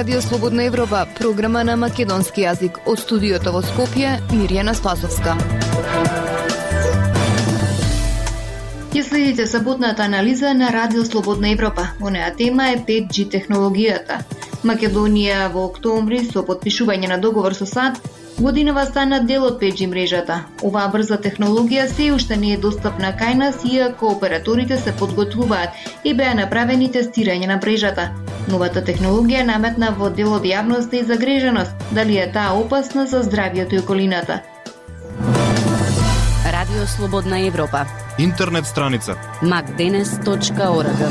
Радио Слободна Европа, програма на македонски јазик. Од студиото во Скопје, Мирјана Спасовска. Ја следите саботната анализа на Радио Слободна Европа. Онеа тема е 5G технологијата. Македонија во октомври со потпишување на договор со САД годинава стана дел од 5G мрежата. Оваа брза технологија се уште не е достапна кај нас, иако операторите се подготвуваат и беа направени тестирање на мрежата. Новата технологија наметна во дел од јавноста и загриженост. Дали е таа опасна за здравјето и околината? Радио Слободна Европа. Интернет страница macdenes.org.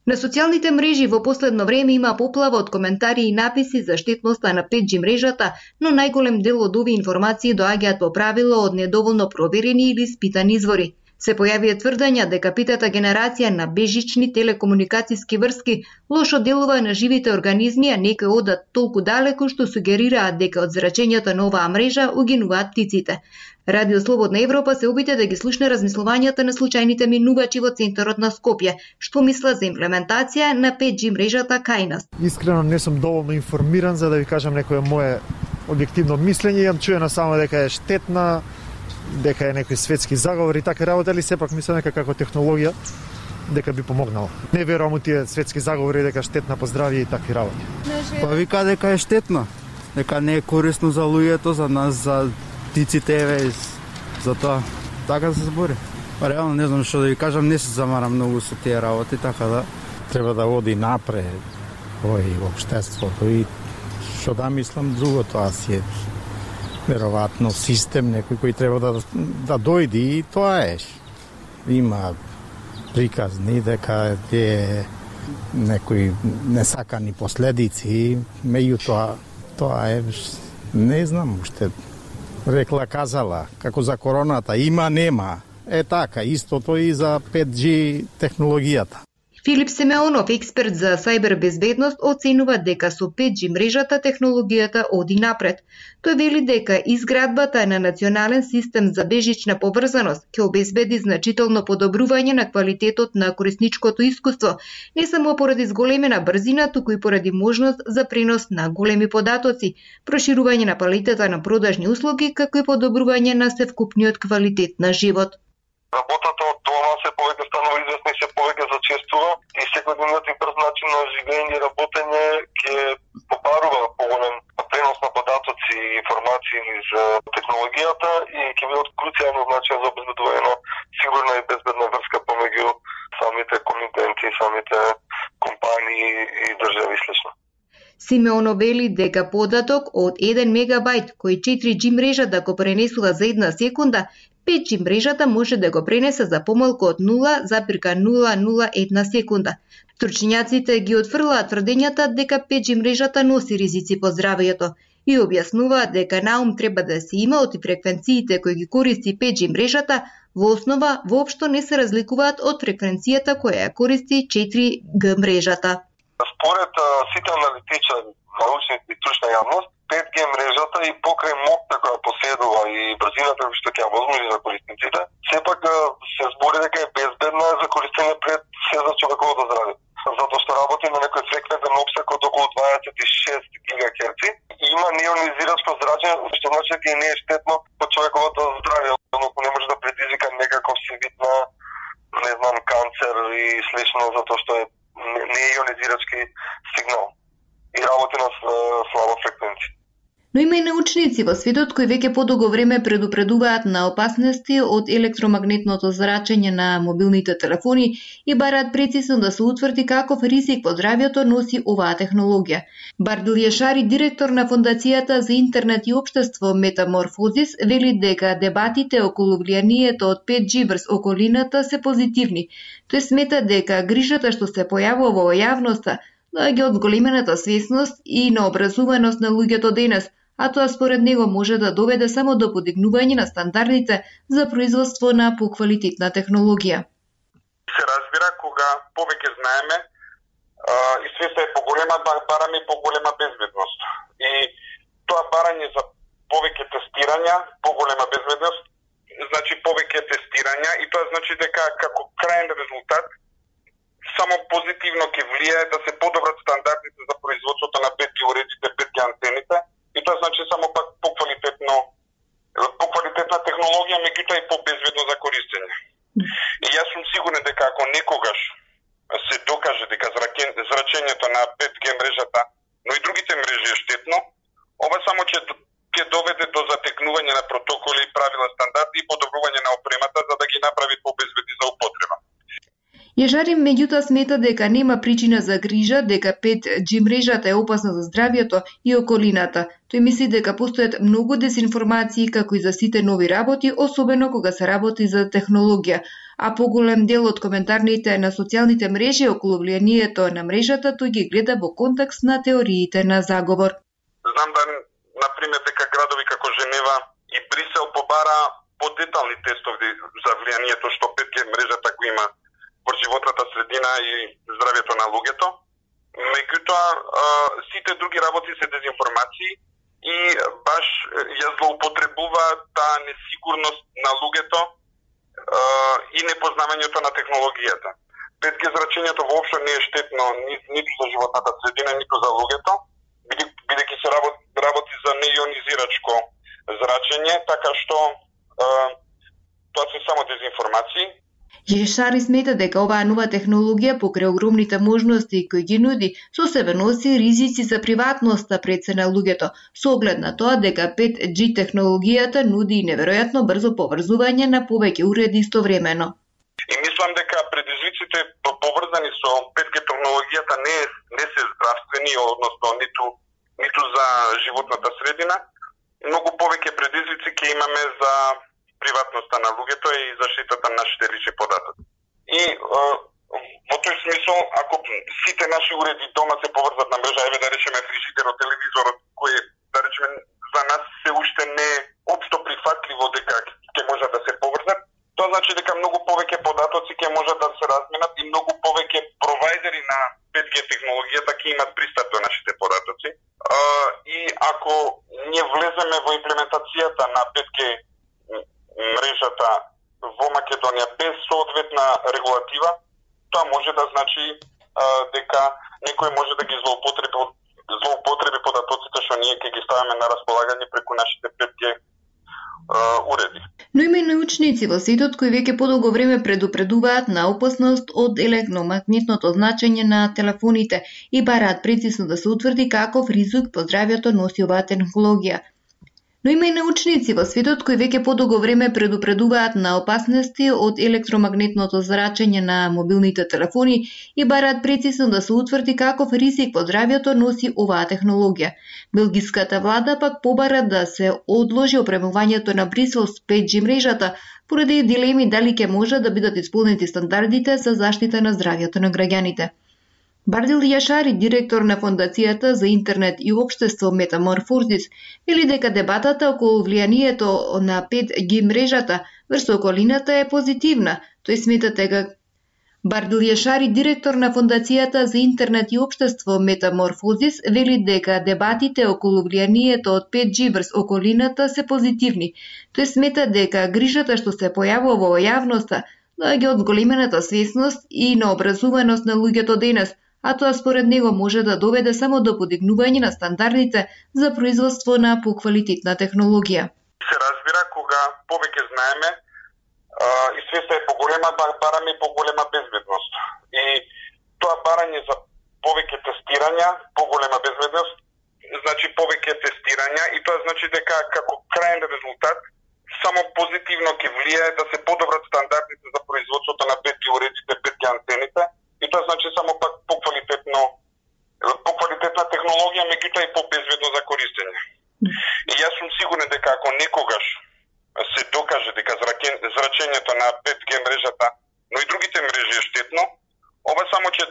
На социјалните мрежи во последно време има поплава од коментари и написи за штетноста на 5G мрежата, но најголем дел од овие информации доаѓаат по правило од недоволно проверени или испитани извори. Се појавија тврдења дека питата генерација на бежични телекомуникацијски врски лошо делува на живите организми, а некои одат толку далеко што сугерираат дека од зрачењето на оваа мрежа угинуваат птиците. Радио Слободна Европа се обиде да ги слушне размислувањата на случајните минувачи во центарот на Скопје, што мислат за имплементација на 5G мрежата кај нас. Искрено не сум доволно информиран за да ви кажам некое мое објективно мислење. Имам чуено само дека е штетна, дека е некои светски заговори и така работа, али сепак мислам дека како технологија дека би помогнала. Не верувам у тие светски заговори дека штетна по здравје и такви работи. Па вика дека е штетна, дека не е корисно за луѓето, за нас, за птиците, за тоа. Така се збори. Па реално не знам што да ви кажам, не се замарам многу со тие работи, така да треба да оди напред овој општеството и што да мислам друго, тоа си е веројатно систем некој кој треба да дојде и тоа е. Има приказни дека е некои несакани последици, меѓутоа тоа е, не знам уште, рекла казала, како за короната, има, нема. Е така, истото и за 5G технологијата. Филип Семеонов, експерт за сајбербезбедност, оценува дека со 5G мрежата технологијата оди напред. Тој вели дека изградбата на национален систем за бежична поврзаност ќе обезбеди значително подобрување на квалитетот на корисничкото искуство, не само поради зголемена брзина, туку и поради можност за пренос на големи податоци, проширување на палетата на продажни услуги, како и подобрување на севкупниот квалитет на живот. Работата од дома се повеќе станува известна и се повеќе зачестува и секојдневниот и брз начин на живење и работење ќе побарува поголем пренос на податоци и информации за технологијата и ќе биде од круцијално значење за обезбедување на сигурна и безбедна врска помеѓу самите комитенти, самите компании и држави и слично. Симеоно вели дека податок од 1 мегабајт кој 4G мрежата го пренесува за 1 секунда, 5G мрежата може да го пренесе за помалку од 0,001 секунда. Стручњаците ги отфрлаат тврдењата дека 5G мрежата носи ризици по здравјето и објаснуваат дека наум треба да се има од фреквенциите кои ги користи 5G мрежата во основа воопшто не се разликуваат од фреквенцијата која ја користи 4G мрежата. Според сите аналитичари, научници и трушна јавност, 5G мрежата и покрај моќта која поседува и брзината што ќе ја возможи за корисниците, сепак се збори дека е безбедна за користење пред се за човековото здравје. Затоа што работи на некој фреквентен опсек од околу 26 ГГц и има неионизирачко зрачење, што значи дека не е штетно по човековото здравје, односно не може да предизвика некаков си вид на, не знам, канцер и слично, затоа што е неионизирачки сигнал и работи на слаба фреквенција. Но има и научници во светот кои веќе подолго време предупредуваат на опасности од електромагнетното зрачење на мобилните телефони и бараат прецизно да се утврди каков ризик по здравјето носи оваа технологија. Бардил Јашари, директор на Фондацијата за интернет и општество Метаморфозис, вели дека дебатите околу влијанието од 5G врз околината се позитивни. Тој смета дека грижата што се појавува во јавноста доаѓа од зголемената свесност и на образуваност на луѓето денес, а тоа според него може да доведе само до подигнување на стандардите за производство на поквалитетна технологија. Се разбира кога повеќе знаеме и свеста е поголема, бараме поголема безбедност. И тоа барање за повеќе тестирања, поголема безбедност, значи повеќе тестирања и тоа значи дека како крајен резултат само позитивно ќе влијае да се подобрат стандардите за производството на 5G уредите, 5G антените, и тоа значи само пак поквалитетна технологија, меѓутоа и побезбедно за користење. И јас сум сигурен дека ако некогаш се докаже дека зрачењето на 5G мрежата, но и другите мрежи е штетно, ова само ќе доведе до затекнување на протоколи, правила, стандарди и подобрување на опремата за да ги направи побезбедни за употреба. Јашари меѓутоа смета дека нема причина за грижа дека 5G мрежата е опасна за здравјето и околината. Тој мисли дека постојат многу дезинформации како и за сите нови работи, особено кога се работи за технологија, а поголем дел од коментарните на социјалните мрежи околу влијанието на мрежата тој ги гледа во контекст на теориите на заговор. Знам да, например, дека градови како Женева и Брисел побара подетални тестови за влијанието што 5G мрежата го има во животната средина и здравјето на луѓето. Меѓутоа, сите други работи се дезинформации и баш ја злоупотребуваат таа несигурност на луѓето и непознавањето на технологијата. 5G зрачењето воопшто не е штетно ниту за животната средина, ниту за луѓето, бидејќи се работи за неионизирачко зрачење, така што тоа се само дезинформации. Јашари смета дека оваа нова технологија покрај огромните можности кои ги нуди, со себе носи ризици за приватноста пред се на луѓето, со оглед на тоа дека 5G технологијата нуди неверојатно брзо поврзување на повеќе уреди истовремено. И мислам дека предизвиците поврзани со 5G технологијата не се здравствени, односно ниту за животната средина. Многу повеќе предизвици ќе имаме за приватноста на луѓето и заштитата на нашите лични податоци. И во тој смисол, ако сите наши уреди дома се поврзат на мрежа, еве да речеме фрижидерот, телевизорот, кој да речеме за нас се уште не е општо прифатливо дека ќе можат да се поврзат, тоа значи дека многу повеќе податоци ќе можат да се разменат и многу повеќе провајдери на 5G технологијата ќе имат пристап до нашите податоци. И ако ние влеземе во имплементацијата на 5G мрежата во Македонија без соодветна регулатива, тоа може да значи дека некој може да ги злоупотреби податоците што ние ќе ги ставаме на располагање преку нашите 5G уреди. Но има и научници во светот кои веќе подолго време предупредуваат на опасност од електромагнетното значење на телефоните и бараат прецизно да се утврди каков ризик по здравјето носи оваа технологија. Но има и научници во светот кои веќе подолго време предупредуваат на опасности од електромагнетното зрачење на мобилните телефони и бараат прецизно да се утврди каков ризик по здравјето носи оваа технологија. Белгиската влада пак побара да се одложи опремувањето на Брисел с 5G мрежата поради дилеми дали ќе може да бидат исполнети стандардите за заштита на здравјето на граѓаните. Бардил Јашари, директор на Фондацијата за интернет и општество Метаморфозис, вели дека дебатата околу влијанието на 5G мрежата врз околината е позитивна. Тој смета дека Бардил Јашари, директор на Фондацијата за интернет и општество Метаморфозис, вели дека дебатите околу влијанието од 5G врз околината се позитивни. Тој смета дека грижата што се појавува во јавноста доаѓа од зголемената свесност и на образуваност на луѓето денес, а тоа според него може да доведе само до подигнување на стандардите за производство на поквалитетна технологија. Се разбира кога повеќе знаеме и свеста е поголема, бараме и поголема безбедност. И тоа барање за повеќе тестирања, поголема безбедност, значи повеќе тестирања и тоа значи дека како крајен резултат само позитивно ќе влијае да се подобрат стандардите за производството на 5G уредите, 5G антените и тоа значи само пак поквалитетна технологија, меѓутоа и побезбедно за користење. И јас сум сигурен дека ако некогаш се докаже дека зрачењето на 5G мрежата, но и другите мрежи е штетно, ова само ќе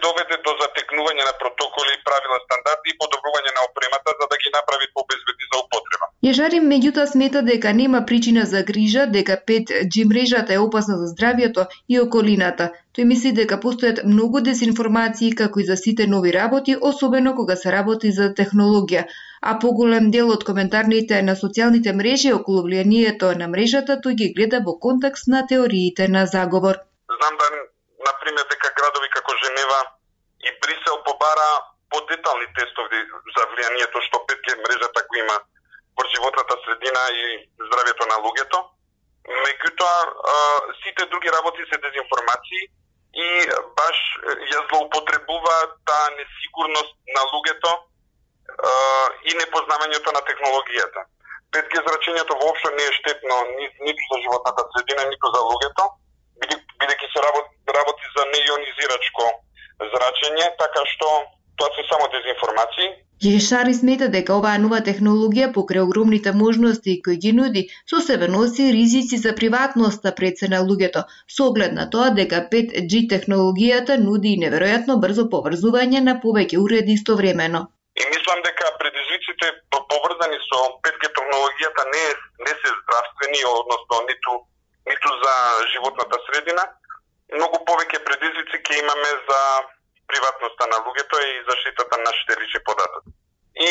доведе до затекнување на протоколи, правила, стандарди и подобрување на опремата за да ги направи побезбедни за употреба. Јашари меѓутоа смета дека нема причина за грижа дека 5G мрежата е опасна за здравјето и околината. Тој мисли дека постојат многу дезинформации како и за сите нови работи, особено кога се работи за технологија, а поголем дел од коментарните на социјалните мрежи околу влијанието на мрежата тој ги гледа во контекст на теориите на заговор. Знам да, например, дека градови како Женева и Брисел побара подетални тестови за влијанието што 5G мрежата го има во животната средина и здравјето на луѓето. Меѓутоа, сите други работи се дезинформации и баш ја злоупотребуваат таа несигурност на луѓето и непознавањето на технологијата. 5G зрачењето воопшто не е штетно ниту за животната средина, ниту за луѓето, бидејќи се работи за неионизирачко зрачење, така што тоа се само дезинформации. Јешари смета дека оваа нова технологија покрај огромните можности кои ги нуди, со себе носи ризици за приватноста пред се на луѓето, со оглед на тоа дека 5G технологијата нуди неверојатно брзо поврзување на повеќе уреди истовремено. И мислам дека предизвиците поврзани со 5G технологијата не се здравствени, односно ниту за животната средина. Многу повеќе предизвици ќе имаме за приватноста на луѓето и заштитата на нашите лични податоци. И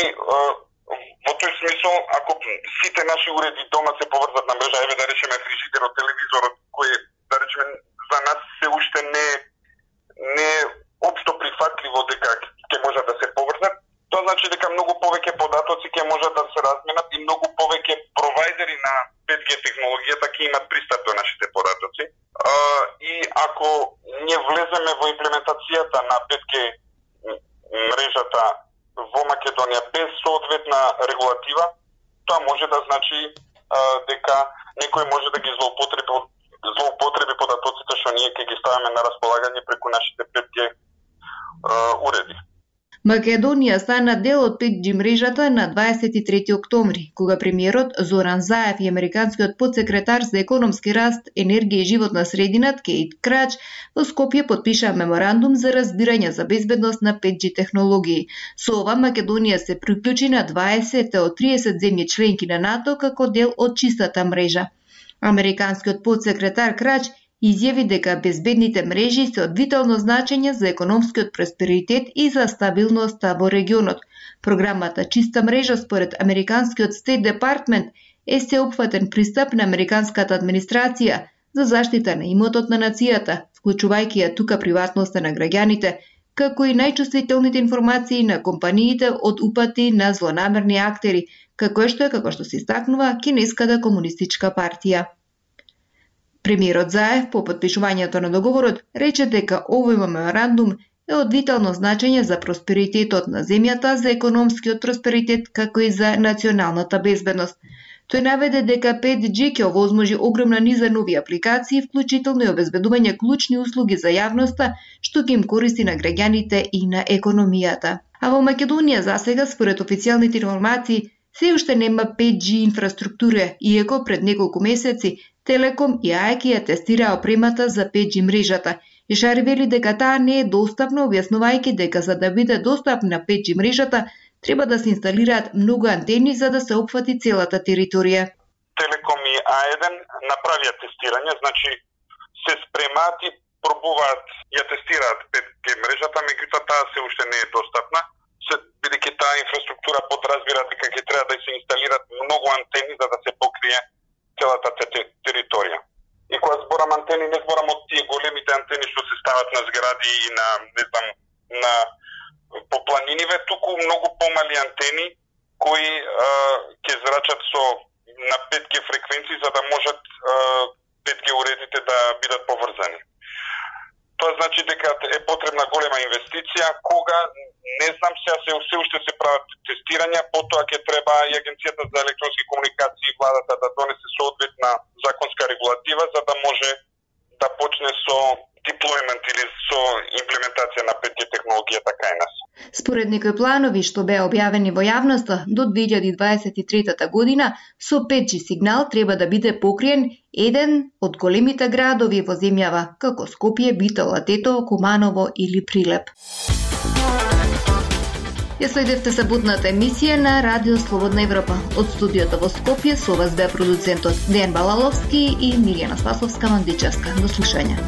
во тој смисол, ако сите наши уреди дома се поврзат на мрежа, еве да речеме фрижидерот, телевизорот, кој да речеме за нас се уште не општо прифатливо дека ќе можат да се поврзат, тоа значи дека многу повеќе податоци ќе можат да се разменат и многу повеќе провајдери на 5G технологијата ќе имат пристап до нашите податоци. И ако ние влеземе во имплементацијата на 5G мрежата во Македонија без соодветна регулатива, тоа може да значи дека некој може да ги злоупотреби податоците што ние ќе ги ставаме на располагање преку нашите 5G уреди. Македонија стана дел од 5G мрежата на 23 октомври, кога премиерот Зоран Заев и американскиот подсекретар за економски раст, енергија и животна средина Кейт Крач во Скопје подпишаа меморандум за разбирање за безбедност на 5G технологии. Со ова Македонија се приклучи на 20 од 30 земји членки на НАТО како дел од чистата мрежа. Американскиот подсекретар Крач изјави дека безбедните мрежи се од витално значење за економскиот просперитет и за стабилноста во регионот. Програмата Чиста мрежа според американскиот State Department е сеопфатен пристап на американската администрација за заштита на имотот на нацијата, вклучувајќи ја тука приватноста на граѓаните, како и најчувствителните информации на компаниите од упати на злонамерни актери, како што се истакнува Кинеската комунистичка партија. Премиерот Заев по подпишувањето на договорот рече дека овој меморандум е од витално значење за просперитетот на земјата, за економскиот просперитет, како и за националната безбедност. Тој наведе дека 5G ќе овозможи огромна низа нови апликации, вклучително и обезбедување клучни услуги за јавноста, што ќе им користи на граѓаните и на економијата. А во Македонија засега, според официјалните информации, се уште нема 5G инфраструктура, иако пред неколку месеци Телеком и АЕК ја тестираа опремата за 5G мрежата. Ишари вели дека таа не е достапна, објаснувајќи дека за да биде достапна 5G мрежата, треба да се инсталираат многу антени за да се опфати целата територија. Телеком и А1 направија тестирање, значи се спремаат и пробуваат, ја тестираат 5G мрежата, меѓутоа таа се уште не е достапна, бидејќи таа инфраструктура подразбира дека ќе треба да се инсталираат многу антени за да се покрие целата територија. И кога зборам антени, не зборам од тие големите антени што се стават на згради и на по планиниве, туку многу помали антени кои ќе зрачат на 5G фреквенции за да можат 5G уредите да бидат поврзани. Тоа значи дека е потребна голема инвестиција, кога не знам, сега се уште се прават тестирања, потоа ќе треба и Агенцијата за електронски комуникации и владата да донесе соодветна законска регулатива за да може да почне со деплојмент или со имплементација на 5G технологијата кај нас. Според некои планови што беа објавени во јавноста, до 2023 година со 5G сигнал треба да биде покриен еден од големите градови во земјава, како Скопје, Битола, Тетово, Куманово или Прилеп. Ја следевте саботната емисија на Радио Слободна Европа. Од студиото во Скопје со вас беа продуцентот Дејан Балаловски и Мирјана Спасовска-Мандичевска. До слушање.